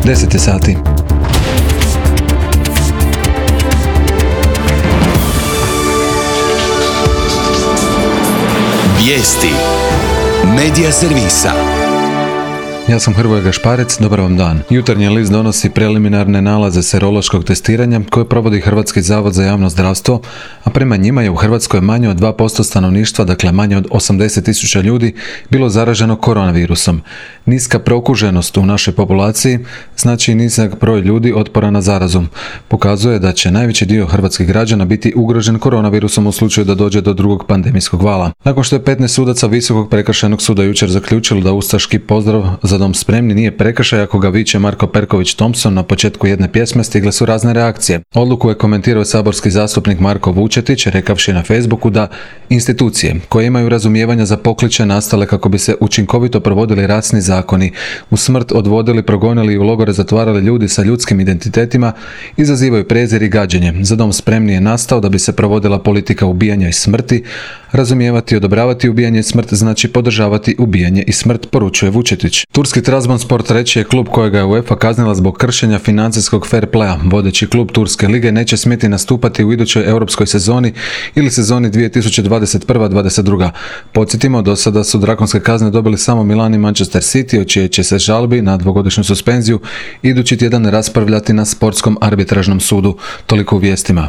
10 je sati. Vijesti Medija servisa. Ja sam Hrvoje Gašparec, dobar vam dan. Jutarnji list donosi preliminarne nalaze serološkog testiranja koje provodi Hrvatski zavod za javno zdravstvo, a prema njima je u Hrvatskoj manje od 2% stanovništva, dakle manje od 80.000 ljudi, bilo zaraženo koronavirusom. Niska prokuženost u našoj populaciji znači i nizak broj ljudi otpora na zarazu. Pokazuje da će najveći dio hrvatskih građana biti ugrožen koronavirusom u slučaju da dođe do drugog pandemijskog vala. Nakon što je 15 sudaca Visokog prekršajnog suda jučer zaključilo da ustaški pozdrav "Za dom spremni" nije prekršaj ako ga viče Marko Perković Thompson na početku jedne pjesme, stigle su razne reakcije. Odluku je komentirao saborski zastupnik Marko Vučetić, rekavši na Facebooku da institucije koje imaju razumijevanja za pokliče nastale kako bi se učinkovito provodili rasni zakoni, u smrt odvodili, progonili i u logore zatvarali ljudi sa ljudskim identitetima, izazivaju prezir i gađenje. Za dom spremni je nastao da bi se provodila politika ubijanja i smrti. Razumijevati i odobravati ubijanje i smrt znači podržavati ubijanje i smrt, poručuje Vučetić. Turski Trabzonspor treći je klub kojega je UEFA kaznila zbog kršenja financijskog fair playa. Vodeći klub Turske lige neće smjeti nastupati u idućoj europskoj sezoni ili sezoni 2021-2022. Podsjetimo, do sada su drakonske kazne dobili samo Milan i Manchester City, o čijoj će se žalbi na dvogodišnju suspenziju idući tjedan raspravljati na sportskom arbitražnom sudu. Toliko u vijestima.